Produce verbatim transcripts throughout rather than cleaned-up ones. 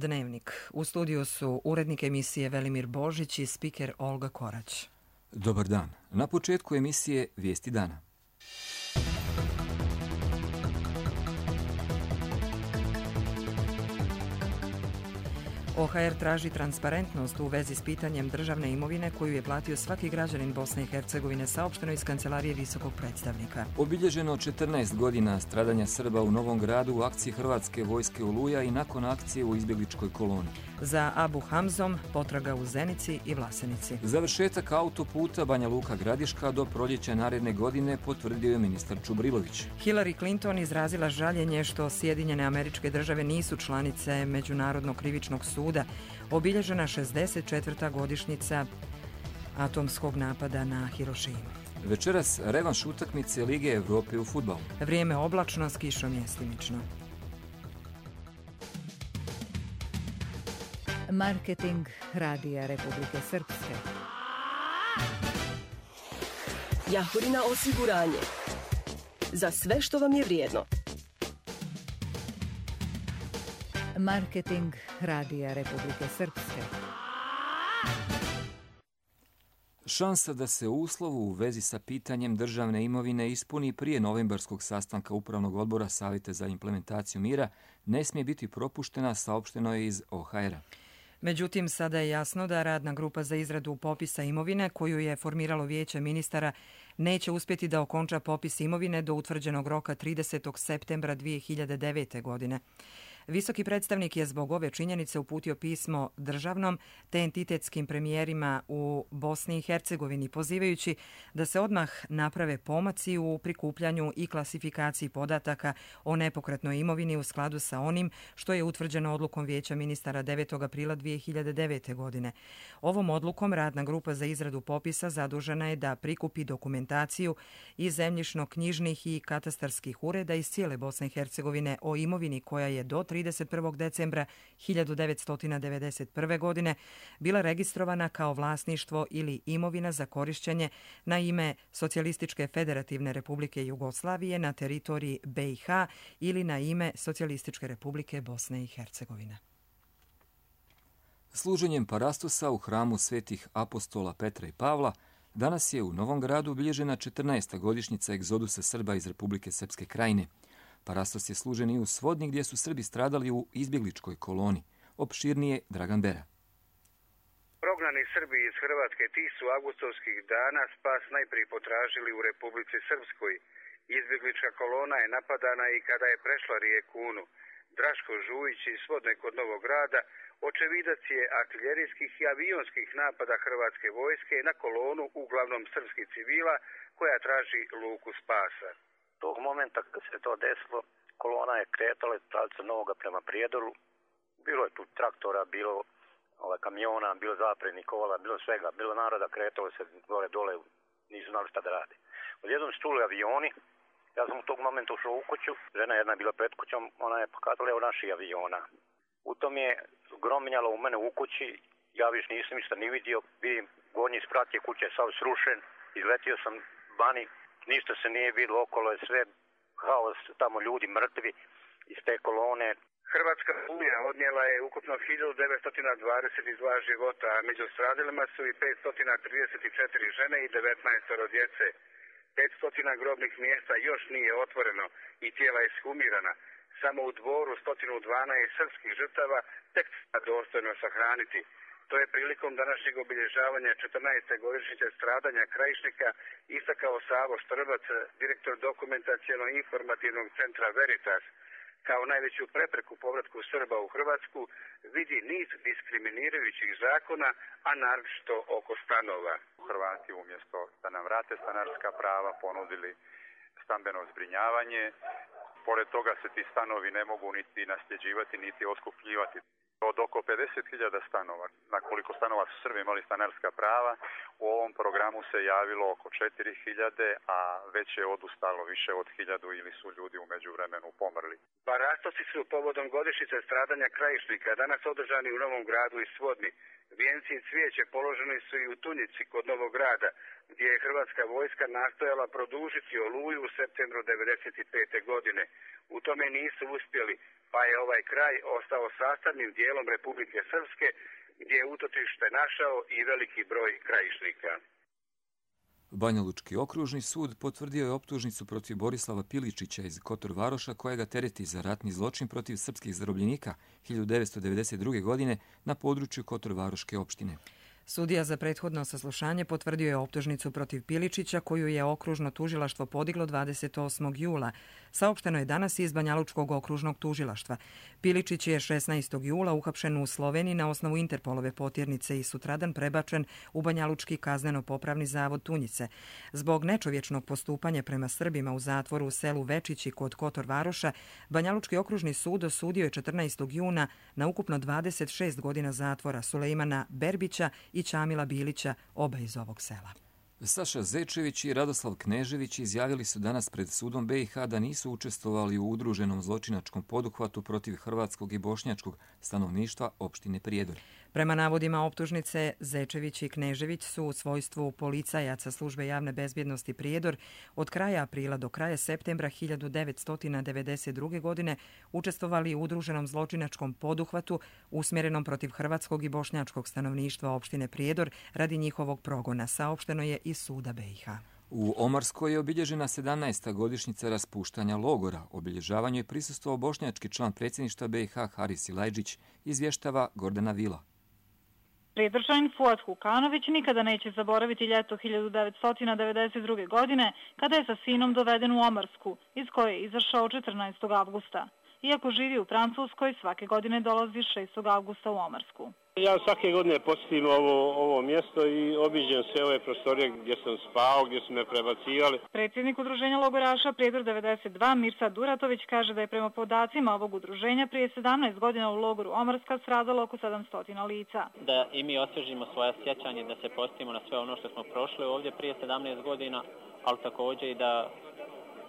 Dnevnik. U studiju su urednik emisije Velimir Božić i spiker Olga Korać. Dobar dan. Na početku emisije Vijesti dana. O H R traži transparentnost u vezi s pitanjem državne imovine koju je platio svaki građanin Bosne i Hercegovine, saopšteno iz kancelarije visokog predstavnika. Obilježeno četrnaest godina stradanja Srba u Novom Gradu u akciji Hrvatske vojske Oluja i nakon akcije u izbjegličkoj koloni. Za Abu Hamzom potraga u Zenici i Vlasenici. Završetak autoputa Banja Luka Gradiška do proljeća naredne godine potvrdio je ministar Čubrilović. Hillary Clinton izrazila žaljenje što Sjedinjene Američke Države nisu članice Međunarodnog krivičnog suda. Obilježena šezdeset četvrta godišnjica atomskog napada na Hirošimu. Večeras revanš utakmice Lige Evrope u fudbalu. Vrijeme oblačno, s kišom mjestimično. Marketing Radija Republike Srpske. Jahorina osiguranje. Za sve što vam je vrijedno. Marketing Radija Republike Srpske. Šansa da se uslovu u vezi sa pitanjem državne imovine ispuni prije novembarskog sastanka Upravnog odbora Savjeta za implementaciju mira ne smije biti propuštena, saopšteno je iz O H R-a. Međutim, sada je jasno da radna grupa za izradu popisa imovine, koju je formiralo Vijeće ministara, neće uspjeti da okonča popis imovine do utvrđenog roka tridesetog septembra dvije hiljade devete. godine. Visoki predstavnik je zbog ove činjenice uputio pismo državnom te entitetskim premijerima u Bosni i Hercegovini, pozivajući da se odmah naprave pomaci u prikupljanju i klasifikaciji podataka o nepokretnoj imovini u skladu sa onim što je utvrđeno odlukom Vijeća ministara devetog aprila dvije hiljade devete. godine. Ovom odlukom radna grupa za izradu popisa zadužena je da prikupi dokumentaciju iz zemljišno-knjižnih i katastarskih ureda iz cijele Bosne i Hercegovine o imovini koja je do trideset prvog decembra hiljadu devetsto devedeset prve. godine bila registrovana kao vlasništvo ili imovina za korišćenje na ime Socijalističke federativne republike Jugoslavije na teritoriji B i H ili na ime Socijalističke republike Bosne i Hercegovine. Služenjem parastosa u hramu svetih apostola Petra i Pavla danas je u Novom Gradu obilježena četrnaesta godišnjica egzodusa Srba iz Republike Srpske Krajine. Parastos je služen i u Svodni gdje su Srbi stradali u izbjegličkoj koloni. Opširnije Dragan Bera. Prognani Srbi iz Hrvatske tih su avgustovskih dana spas najprije potražili u Republici Srpskoj. Izbjeglička kolona je napadana i kada je prešla rijeku Unu. Draško Žujić iz Svodne kod Novog Grada očevidac je artiljerijskih i avionskih napada Hrvatske vojske na kolonu, uglavnom srpskih civila, koja traži luku spasa. Tog momenta kad se to desilo, kolona je kretala pravcem Novoga prema Prijedoru. Bilo je tu traktora, bilo ovaj, kamiona, bilo zaprednih kola, bilo svega. Bilo naroda, kretalo se gore dole, nisu znali šta da rade. Odjednom su čuli avioni, ja sam u tog momenta ušao u kuću, žena jedna je bila pred kućom, ona je pokazala evo naših aviona. U tom je grominjalo u mene u kući, ja više nisam ništa ni vidio, vidim gornji sprat je kuće sav srušen, izletio sam vani. Ništa se nije vidjelo, okolo je sve haos, tamo ljudi mrtvi iz te kolone. Hrvatska oluja odnijela je ukupno hiljadu devetsto dvadeset dva života, a među stradalima su i petsto trideset četiri žene i devetnaest djece. petsto grobnih mjesta još nije otvoreno i tijela je ekshumirana. Samo u Dvoru sto dvanaest srpskih žrtava tek dostojno sahraniti. To je prilikom današnjeg obilježavanja četrnaeste godišnjice stradanja Krajišnika istakao Savo Štrbac, direktor dokumentacijono-informativnog centra Veritas. Kao najveću prepreku povratku Srba u Hrvatsku vidi niz diskriminirajućih zakona, a naročito oko stanova. Hrvati umjesto da nam vrate stanarska prava ponudili stambeno zbrinjavanje. Pored toga se ti stanovi ne mogu niti nasljeđivati, niti oskupljivati. Od oko pedeset hiljada stanova, na koliko stanova su Srbi imali stanarska prava, u ovom programu se javilo oko četiri hiljade, a već je odustalo više od hiljadu ili su ljudi u međuvremenu pomrli. Parastosi su povodom godišnjice stradanja Krajišnika danas održani u Novom Gradu i Svodni. Vijenci i cvijeće položeni su i u Tunjici kod Novog Grada, gdje je Hrvatska vojska nastojala produžiti Oluju u septembru devedeset pete. godine. U tome nisu uspjeli, pa je ovaj kraj ostao sastavnim dijelom Republike Srpske, gdje je utočište našao i veliki broj krajišnika. Banjalučki okružni sud potvrdio je optužnicu protiv Borislava Piličića iz Kotor Varoša, koja ga tereti za ratni zločin protiv srpskih zarobljenika hiljadu devetsto devedeset druge. godine na području Kotor Varoške opštine. Sudija za prethodno saslušanje potvrdio je optužnicu protiv Piličića, koju je okružno tužilaštvo podiglo dvadeset osmog jula. Saopšteno je danas iz Banjalučkog okružnog tužilaštva. Piličić je šesnaestog jula uhapšen u Sloveniji na osnovu Interpolove potjernice i sutradan prebačen u Banjalučki kazneno-popravni zavod Tunjice. Zbog nečovječnog postupanja prema Srbima u zatvoru u selu Večići kod Kotor Varoša, Banjalučki okružni sud osudio je četrnaestog juna na ukupno dvadeset šest godina zatvora Sulejmana Berbića i Čamila Bilića, oba iz ovog sela. Saša Zečević i Radoslav Knežević izjavili su danas pred sudom B i H da nisu učestvovali u udruženom zločinačkom poduhvatu protiv hrvatskog i bošnjačkog stanovništva opštine Prijedor. Prema navodima optužnice, Zečević i Knežević su u svojstvu policajaca službe javne bezbjednosti Prijedor od kraja aprila do kraja septembra hiljadu devetsto devedeset druge. godine učestvovali u udruženom zločinačkom poduhvatu usmjerenom protiv hrvatskog i bošnjačkog stanovništva opštine Prijedor radi njihovog progona, saopšteno je iz suda B i H. U Omarskoj je obilježena sedamnaesta godišnjica raspuštanja logora. Obilježavanju je prisustvovao bošnjački član predsjedništva B i H Haris Silajđić, izvještava Gordana Vila. Prijedržanin Fuad Hukanović nikada neće zaboraviti ljeto hiljadu devetsto devedeset druge. godine, kada je sa sinom doveden u Omarsku, iz koje je izašao četrnaestog avgusta. Iako živi u Francuskoj, svake godine dolazi šestog avgusta u Omarsku. Ja svake godine posjetim ovo, ovo mjesto i obiđem sve ove prostorije gdje sam spao, gdje su me prebacivali. Predsjednik udruženja logoraša Prijedor devedeset dva Mirsa Duratović kaže da je prema podacima ovog udruženja prije sedamnaest godina u logoru Omarska stradalo oko sedamsto lica. Da i mi osvježimo svoje sjećanje, da se podsjetimo na sve ono što smo prošli ovdje prije sedamnaest godina, ali također i da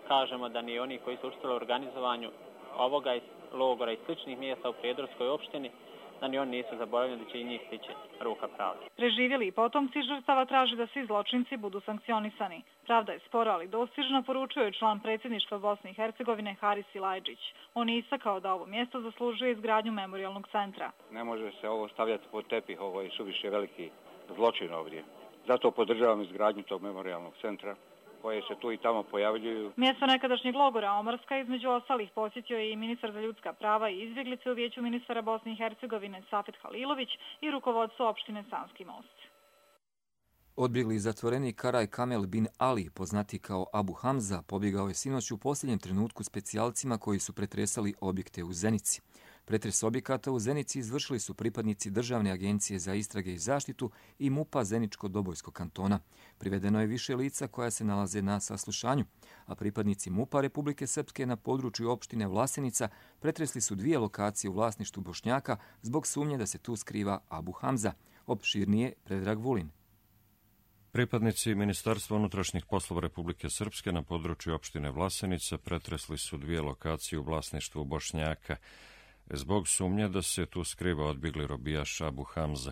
kažemo da ni oni koji su učestvovali u organizovanju ovoga logora i sličnih mjesta u Prijedorskoj opštini, da ni oni nisu zaboravljeni, da će i njih stići ruka pravde. Preživjeli i potomci žrtava traže da svi zločinci budu sankcionisani. Pravda je spora, ali dostižna, poručuje član predsjedništva Bosne i Hercegovine Haris Silajđić. On je istakao da ovo mjesto zaslužuje izgradnju memorijalnog centra. Ne može se ovo stavljati pod tepih, ovo je suviše veliki zločin ovdje. Zato podržavam izgradnju tog memorijalnog centra, koje se tu i tamo pojavljuju. Mjesto nekadašnjeg logora Omarska između ostalih posjetio je i ministar za ljudska prava i izbjeglice u vijeću ministara Bosne i Hercegovine Safet Halilović i rukovodstvo opštine Sanski most. Odbjegli zatvorenik Karaj Kamel bin Ali, poznati kao Abu Hamza, pobjegao je sinoć u posljednjem trenutku specijalcima koji su pretresali objekte u Zenici. Pretres objekata u Zenici izvršili su pripadnici Državne agencije za istrage i zaštitu i MUP-a Zeničko-Dobojskog kantona. Privedeno je više lica koja se nalaze na saslušanju, a pripadnici MUP-a Republike Srpske na području opštine Vlasenica pretresli su dvije lokacije u vlasništvu Bošnjaka zbog sumnje da se tu skriva Abu Hamza. Opširnije Predrag Vulin. Pripadnici Ministarstva unutrašnjih poslova Republike Srpske na području opštine Vlasenica pretresli su dvije lokacije u vlasništvu Bošnjaka zbog sumnje da se tu skriva odbjegli robijaš Abu Hamza,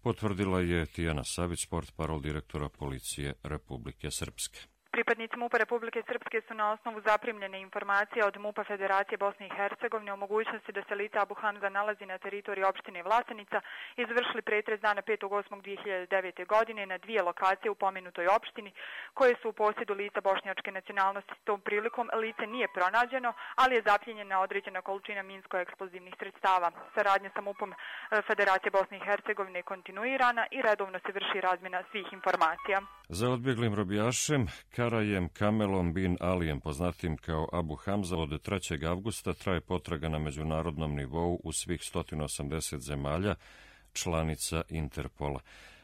potvrdila je Tijana Savić, portparol direktora policije Republike Srpske. Pripadnici MUP-a Republike Srpske su na osnovu zaprimljene informacije od MUP-a Federacije Bosne i Hercegovine o mogućnosti da se lice Abu Hamza nalazi na teritoriji opštine Vlasenica izvršili pretres dana petog osmog dvije hiljade devete. godine na dvije lokacije u pomenutoj opštini koje su u posjedu lica bošnjačke nacionalnosti. Tom prilikom lice nije pronađeno, ali je zapljenjena određena količina minsko-eksplozivnih sredstava. Saradnja sa MUP-om Federacije Bosne i Hercegovine je kontinuirana i redovno se vrši razmjena svih informacija. Za odbjeglim robijašem Karajem Kamelom bin Alijem, poznatim kao Abu Hamza, od trećeg avgusta traje potraga na međunarodnom nivou u svih sto osamdeset zemalja, članica Interpola.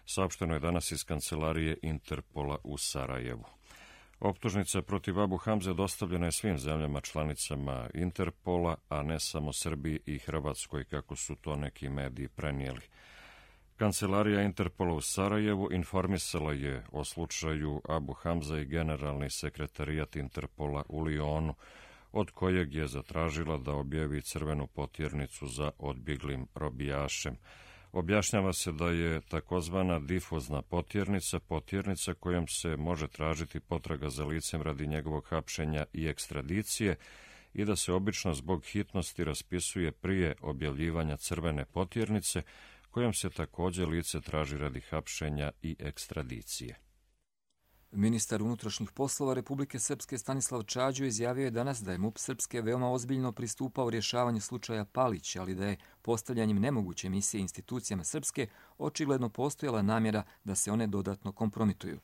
Saopšteno je danas iz kancelarije Interpola u Sarajevu. Optužnica protiv Abu Hamze dostavljena je svim zemljama članicama Interpola, a ne samo Srbiji i Hrvatskoj, kako su to neki mediji prenijeli. Kancelarija Interpola u Sarajevu informisala je o slučaju Abu Hamza i generalni sekretarijat Interpola u Lionu, od kojeg je zatražila da objavi crvenu potjernicu za odbjeglim robijašem. Objašnjava se da je takozvana difuzna potjernica, potjernica kojom se može tražiti potraga za licem radi njegovog hapšenja i ekstradicije i da se obično zbog hitnosti raspisuje prije objavljivanja crvene potjernice, kojom se također lice traži radi hapšenja i ekstradicije. Ministar unutrašnjih poslova Republike Srpske Stanislav Čađo izjavio je danas da je MUP Srpske veoma ozbiljno pristupao rješavanju slučaja Palić, ali da je postavljanjem nemoguće misije institucijama Srpske očigledno postojala namjera da se one dodatno kompromituju.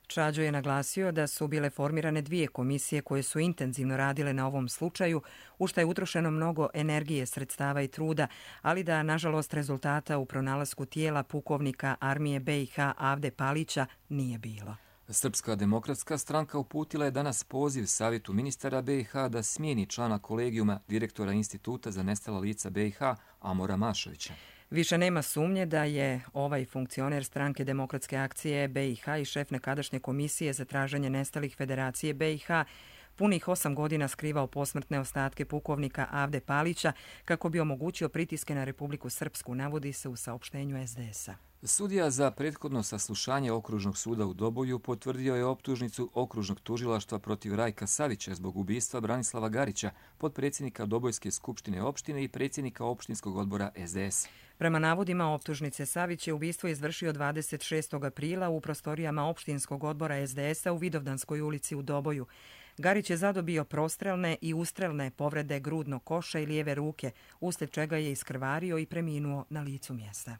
Čađo je naglasio da su bile formirane dvije komisije koje su intenzivno radile na ovom slučaju, u što je utrošeno mnogo energije, sredstava i truda, ali da, nažalost, rezultata u pronalasku tijela pukovnika armije B i H Avde Palića nije bilo. Srpska demokratska stranka uputila je danas poziv Savjetu ministara B i H da smijeni člana kolegijuma direktora Instituta za nestala lica B i H Amora Mašovića. Više nema sumnje da je ovaj funkcioner stranke Demokratske akcije B i H i šef nekadašnje komisije za traženje nestalih Federacije B i H punih osam godina skrivao posmrtne ostatke pukovnika Avde Palića kako bi omogućio pritiske na Republiku Srpsku, navodi se u saopštenju es de es a. Sudija za prethodno saslušanje Okružnog suda u Doboju potvrdio je optužnicu Okružnog tužilaštva protiv Rajka Savića zbog ubistva Branislava Garića, potpredsjednika Dobojske skupštine opštine i predsjednika opštinskog odbora es de es. Prema navodima optužnice, Savić je ubistvo izvršio dvadeset šestog aprila u prostorijama opštinskog odbora es de es a u Vidovdanskoj ulici u Doboju. Garić je zadobio prostrelne i ustrelne povrede grudnog koša i lijeve ruke, uslijed čega je iskrvario i preminuo na licu mjesta.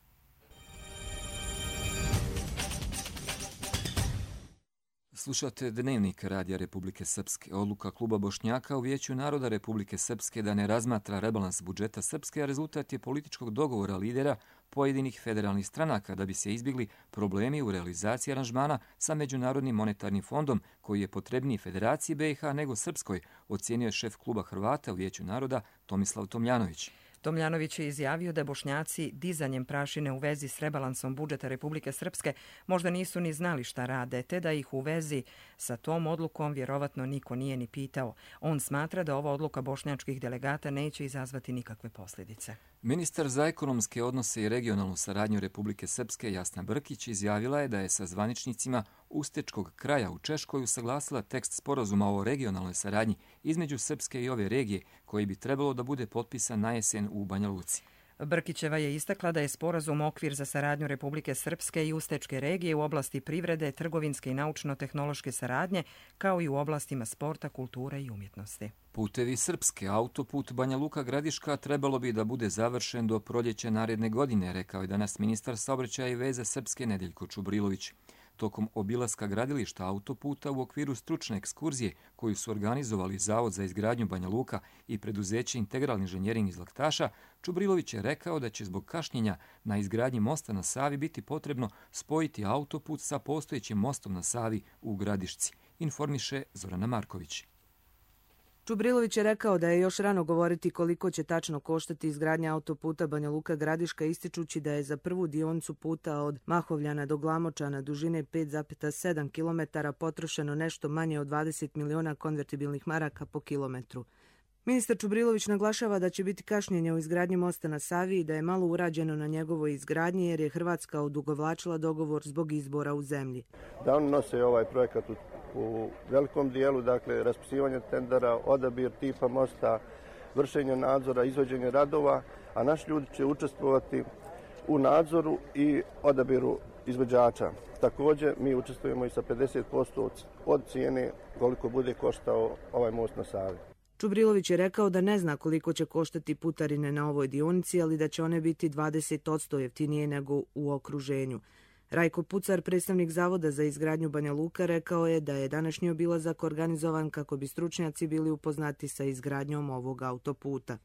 Slušate Dnevnik Radija Republike Srpske. Odluka Kluba Bošnjaka u Vijeću naroda Republike Srpske da ne razmatra rebalans budžeta Srpske, a rezultat je političkog dogovora lidera pojedinih federalnih stranaka da bi se izbjegli problemi u realizaciji aranžmana sa Međunarodnim monetarnim fondom, koji je potrebniji Federaciji B i H nego Srpskoj, ocijenio je šef Kluba Hrvata u Vijeću naroda Tomislav Tomljanović. Tomljanović je izjavio da Bošnjaci dizanjem prašine u vezi s rebalansom budžeta Republike Srpske možda nisu ni znali šta rade, te da ih u vezi sa tom odlukom vjerovatno niko nije ni pitao. On smatra da ova odluka bošnjačkih delegata neće izazvati nikakve posljedice. Ministar za ekonomske odnose i regionalnu saradnju Republike Srpske Jasna Brkić izjavila je da je sa zvaničnicima Ustečkog kraja u Češkoj usaglasila tekst sporazuma o regionalnoj saradnji između Srpske i ove regije, koji bi trebalo da bude potpisan na jesen u Banja Luci. Brkićeva je istakla da je sporazum okvir za saradnju Republike Srpske i Ustečke regije u oblasti privrede, trgovinske i naučno-tehnološke saradnje, kao i u oblastima sporta, kulture i umjetnosti. Putevi Srpske, autoput Banja Luka Gradiška trebalo bi da bude završen do proljeća naredne godine, rekao je danas ministar saobraćaja i veze Srpske Nedeljko Čubrilović. Tokom obilaska gradilišta autoputa u okviru stručne ekskurzije koju su organizovali Zavod za izgradnju Banja Luka i preduzeće Integral inženjering iz Laktaša, Čubrilović je rekao da će zbog kašnjenja na izgradnji mosta na Savi biti potrebno spojiti autoput sa postojećim mostom na Savi u Gradišci, informiše Zorana Marković. Čubrilović je rekao da je još rano govoriti koliko će tačno koštati izgradnja autoputa Banja Luka Gradiška, ističući da je za prvu dionicu puta od Mahovljana do Glamočana dužine pet zarez sedam kilometara potrošeno nešto manje od dvadeset miliona konvertibilnih maraka po kilometru. Ministar Čubrilović naglašava da će biti kašnjenje u izgradnji mosta na Savi i da je malo urađeno na njegovoj izgradnji jer je Hrvatska odugovlačila dogovor zbog izbora u zemlji. Da oni nose ovaj projekat u, u velikom dijelu, dakle raspisivanje tendera, odabir tipa mosta, vršenje nadzora, izvođenje radova, a naši ljudi će učestvovati u nadzoru i odabiru izvođača. Također mi učestvujemo i sa pedeset posto od cijene koliko bude koštao ovaj most na Savi. Čubrilović je rekao da ne zna koliko će koštati putarine na ovoj dionici, ali da će one biti dvadeset posto jeftinije nego u okruženju. Rajko Pucar, predstavnik Zavoda za izgradnju Banja Luka, rekao je da je današnji obilazak organizovan kako bi stručnjaci bili upoznati sa izgradnjom ovog autoputa.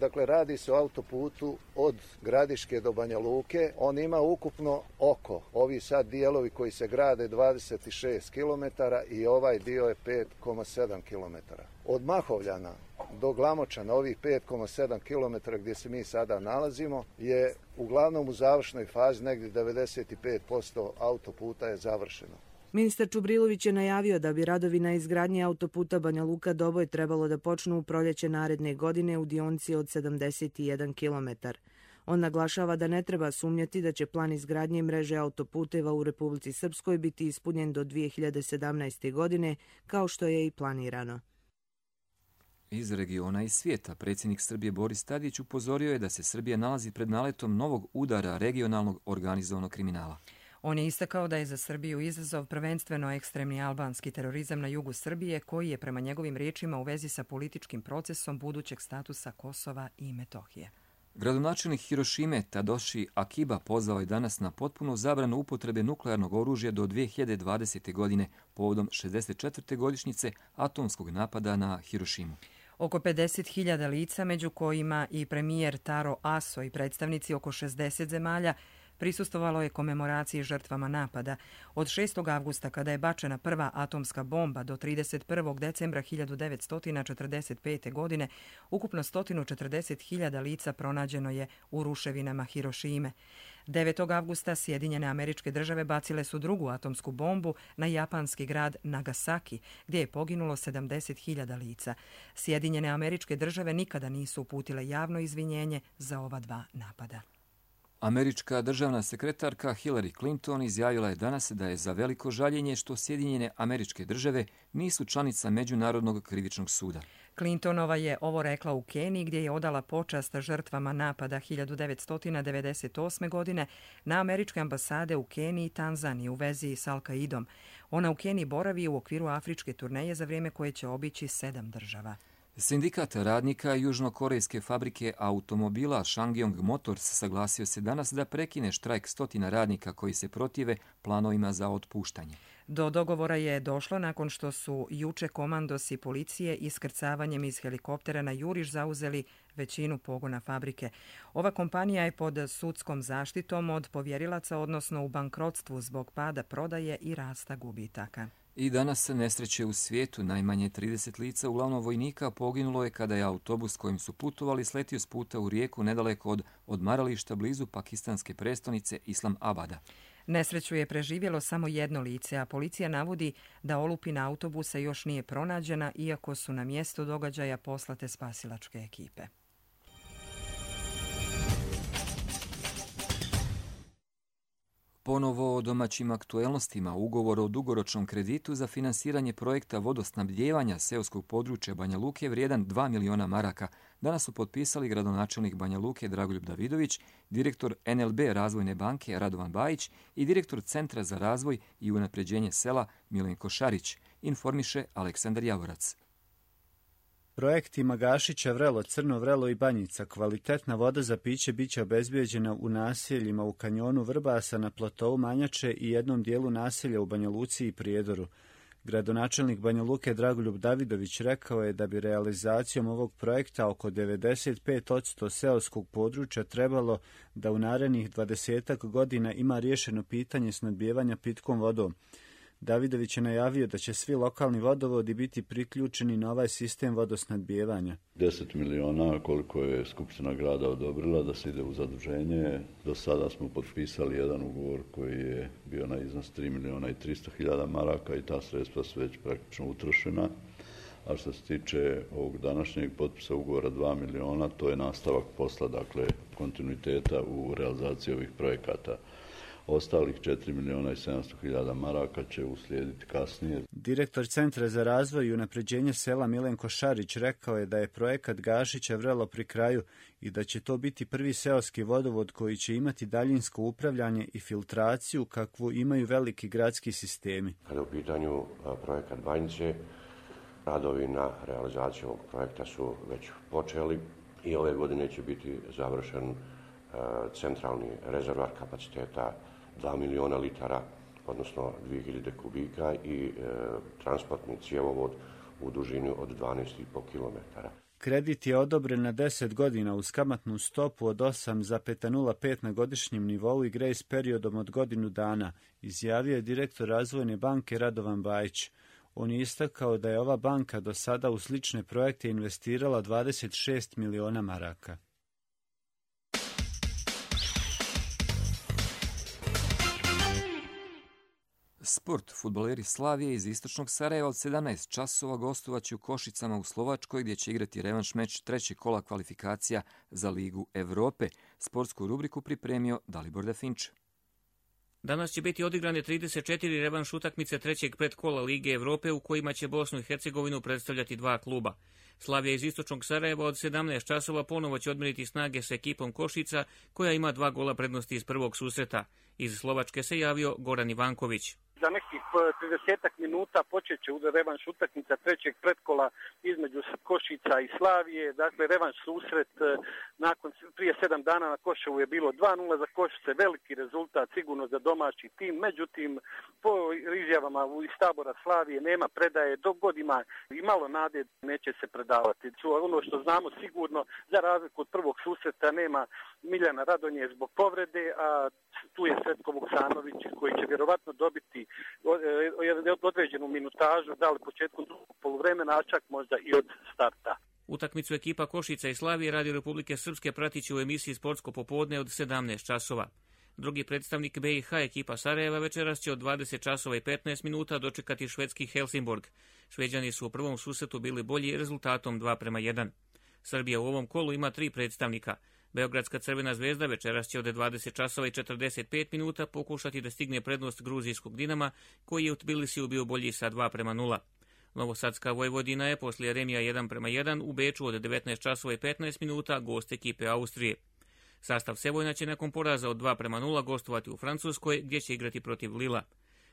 Dakle, radi se o autoputu od Gradiške do Banja Luke. On ima ukupno oko, ovi sad dijelovi koji se grade, dvadeset šest kilometara i ovaj dio je pet zarez sedam kilometara. Od Mahovljana do Glamočana, ovih pet zarez sedam kilometara gdje se mi sada nalazimo, je uglavnom u završnoj fazi, negdje devedeset pet posto autoputa je završeno. Ministar Čubrilović je najavio da bi radovi na izgradnji autoputa Banja Luka Doboj trebalo da počnu u proljeće naredne godine u dionici od sedamdeset jedan kilometar. On naglašava da ne treba sumnjati da će plan izgradnje mreže autoputeva u Republici Srpskoj biti ispunjen do dvije hiljade sedamnaeste. godine, kao što je i planirano. Iz regiona i svijeta, predsjednik Srbije Boris Tadić upozorio je da se Srbija nalazi pred naletom novog udara regionalnog organizovanog kriminala. On je istakao da je za Srbiju izazov prvenstveno ekstremni albanski terorizam na jugu Srbije, koji je prema njegovim riječima u vezi sa političkim procesom budućeg statusa Kosova i Metohije. Gradonačelnik Hirošime Tadoshi Akiba pozvao je danas na potpunu zabranu upotrebe nuklearnog oružja do dvije hiljade dvadesete. godine povodom šezdeset četvrte godišnjice atomskog napada na Hirošimu. Oko pedeset hiljada lica, među kojima i premijer Taro Aso i predstavnici oko šezdeset zemalja, prisustvovalo je komemoraciji žrtvama napada. Od šestog avgusta, kada je bačena prva atomska bomba, do trideset prvog decembra hiljadu devetsto četrdeset pete. godine, ukupno sto četrdeset hiljada lica pronađeno je u ruševinama Hirošime. devetog avgusta Sjedinjene Američke Države bacile su drugu atomsku bombu na japanski grad Nagasaki, gdje je poginulo sedamdeset hiljada lica. Sjedinjene Američke Države nikada nisu uputile javno izvinjenje za ova dva napada. Američka državna sekretarka Hillary Clinton izjavila je danas da je za veliko žaljenje što Sjedinjene Američke Države nisu članica Međunarodnog krivičnog suda. Clintonova je ovo rekla u Keniji, gdje je odala počast žrtvama napada hiljadu devetsto devedeset osme. godine na američke ambasade u Keniji i Tanzaniji u vezi s Al-Kaidom. Ona u Keniji boravi u okviru afričke turneje za vrijeme koje će obići sedam država. Sindikat radnika južnokorejske fabrike automobila Ssangyong Motors saglasio se danas da prekine štrajk stotina radnika koji se protive planovima za otpuštanje. Do dogovora je došlo nakon što su juče komandosi policije iskrcavanjem iz helikoptera na juriš zauzeli većinu pogona fabrike. Ova kompanija je pod sudskom zaštitom od povjerilaca, odnosno u bankrotstvu zbog pada prodaje i rasta gubitaka. I danas se nesreće u svijetu. Najmanje trideset lica, uglavnom vojnika, poginulo je kada je autobus kojim su putovali sletio s puta u rijeku nedaleko od odmarališta blizu pakistanske prestonice Islam Abada. Nesreću je preživjelo samo jedno lice, a policija navodi da olupina autobusa još nije pronađena, iako su na mjesto događaja poslate spasilačke ekipe. Ponovo o domaćim aktuelnostima. Ugovor o dugoročnom kreditu za finansiranje projekta vodosnabdijevanja seoskog područja Banja Luke vrijedan dva miliona maraka danas su potpisali gradonačelnik Banja Luke Dragoljub Davidović, direktor N L B Razvojne banke Radovan Bajić i direktor Centra za razvoj i unapređenje sela Milenko Šarić, informiše Aleksandar Javorac. Projektima Gašića, Vrelo, Crno Vrelo i Banjica kvalitetna voda za piće biće obezbijeđena u naseljima u kanjonu Vrbasa, na platovu Manjače i jednom dijelu naselja u Banja Luci i Prijedoru. Gradonačelnik Banja Luke Dragoljub Davidović rekao je da bi realizacijom ovog projekta oko devedeset pet posto seoskog područja trebalo da u narednih dvadesetak godina ima riješeno pitanje snabdijevanja pitkom vodom. Davidović je najavio da će svi lokalni vodovodi biti priključeni na ovaj sistem vodosnadbijevanja. deset miliona koliko je Skupština grada odobrila da se ide u zaduženje. Do sada smo potpisali jedan ugovor koji je bio na iznos tri miliona i tristo hiljada maraka i ta sredstva su već praktično utrošena. A što se tiče ovog današnjeg potpisa ugovora dva miliona, to je nastavak posla, dakle kontinuiteta u realizaciji ovih projekata. Ostalih četiri miliona i sedamsto hiljada maraka će uslijediti kasnije. Direktor Centra za razvoj i unapređenje sela Milenko Šarić rekao je da je projekat Gašića Vrelo pri kraju i da će to biti prvi seoski vodovod koji će imati daljinsko upravljanje i filtraciju kakvu imaju veliki gradski sistemi. Kada u pitanju projekat Banjice, radovi na realizaciju ovog projekta su već počeli i ove godine će biti završen centralni rezervar kapaciteta dva miliona litara, odnosno dvije hiljade kubika i e, transportni cjevovod u dužini od dvanaest i po kilometara. Kredit je odobren na deset godina uz kamatnu stopu od osam zarez nula pet na godišnjem nivou i grejs periodom od godinu dana, izjavio je direktor Razvojne banke Radovan Bajić. On je istakao da je ova banka do sada u slične projekte investirala dvadeset šest miliona maraka. Sport. Fudbaleri Slavije iz istočnog Sarajeva od sedamnaest časova gostovaće u Košicama u Slovačkoj, gdje će igrati revanš meč trećeg kola kvalifikacija za Ligu Evrope. Sportsku rubriku pripremio Dalibor Definč. Danas će biti odigrane trideset četiri revanš utakmice trećeg predkola Lige Evrope u kojima će Bosnu i Hercegovinu predstavljati dva kluba. Slavija iz istočnog Sarajeva od sedamnaest časova ponovo će odmeriti snage sa ekipom Košica, koja ima dva gola prednosti iz prvog susreta. Iz Slovačke se javio Goran Ivanković. Za nekih tridesetak minuta počet će revanš utakmica trećeg pretkola između Košica i Slavije. Dakle, revanš susret nakon, prije sedam dana na Koševu je bilo dva nula za Košice, veliki rezultat sigurno za domaći tim. Međutim, po izjavama iz tabora Slavije nema predaje, dok god ima i malo nade neće se predavati. Ono što znamo sigurno, za razliku od prvog susreta nema Miljana Radonje zbog povrede, a tu je Sretko Vuksanović koji će vjerovatno dobiti određenu minutažu, da li početkom drugog poluvremena, a čak možda i od starta. Utakmicu ekipa Košica i Slavije Radio Republike Srpske pratiće u emisiji Sportsko popodne od sedamnaest časova. Drugi predstavnik B i H ekipa Sarajeva večeras će od dvadeset časova i petnaest minuta dočekati švedski Helsingborg. Šveđani su u prvom susretu bili bolji rezultatom dva prema jedan. Srbija u ovom kolu ima tri predstavnika. Beogradska Crvena zvezda večeras će od dvadeset časova i četrdeset pet minuta pokušati da stigne prednost gruzijskog Dinama, koji je u Tbilisiju bio bolji sa dva prema nula. Novosadska Vojvodina je poslije remija jedan prema jedan u Beču od devetnaest časova i petnaest minuta gost ekipe Austrije. Sastav Sevojna će nakon poraza od dva prema nula gostovati u Francuskoj, gdje će igrati protiv Lila.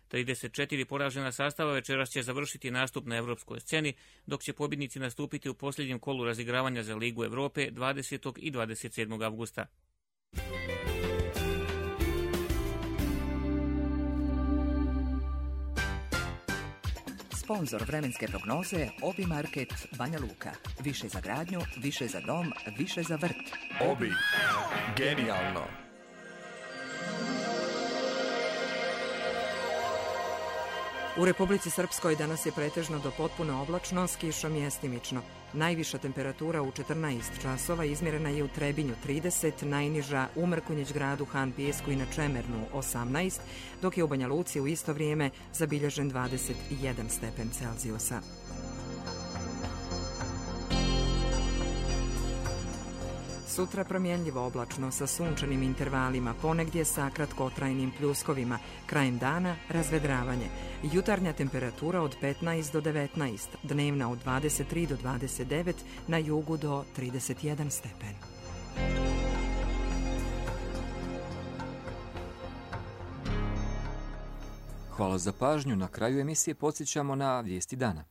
trideset četiri poražena sastava večeras će završiti nastup na evropskoj sceni, dok će pobjednici nastupiti u posljednjem kolu razigravanja za Ligu Evrope dvadesetog i dvadeset sedmog avgusta. Sponzor vremenske prognoze Obi Market Banja Luka. Više za gradnju, više za dom, više za vrt. Obi. Genijalno. U Republici Srpskoj danas je pretežno do potpuno oblačno, s kišom mjestimično. Najviša temperatura u četrnaest časova izmjerena je u Trebinju trideset, najniža u Mrkonjić gradu, Han Pijesku i na Čemernu osamnaest, dok je u Banja Luci u isto vrijeme zabilježen dvadeset jedan stepen Celzijusa. Sutra promjenljivo oblačno sa sunčanim intervalima, ponegdje sa kratkotrajnim pljuskovima. Krajem dana razvedravanje. Jutarnja temperatura od petnaest do devetnaest, dnevna od dvadeset tri do dvadeset devet, na jugu do trideset jedan stepen. Hvala za pažnju. Na kraju emisije podsjećamo na vijesti dana.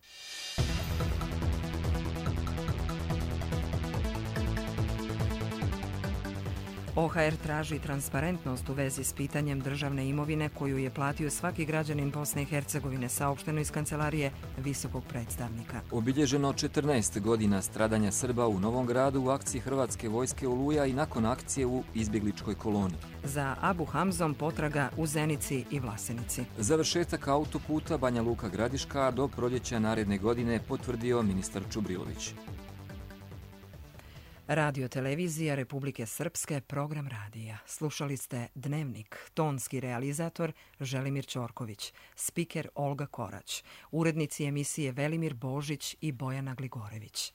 O H R traži transparentnost u vezi s pitanjem državne imovine koju je platio svaki građanin Bosne i Hercegovine, saopšteno iz kancelarije visokog predstavnika. Obilježeno četrnaest godina stradanja Srba u Novom Gradu u akciji Hrvatske vojske Oluja i nakon akcije u izbjegličkoj koloni. Za Abu Hamzom potraga u Zenici i Vlasenici. Završetak autoputa Banja Luka Gradiška do proljeća naredne godine potvrdio ministar Čubrilović. Radio televizija Republike Srpske, program radija. Slušali ste Dnevnik, tonski realizator Želimir Ćorković, spiker Olga Korać, urednici emisije Velimir Božić i Bojana Gligorević.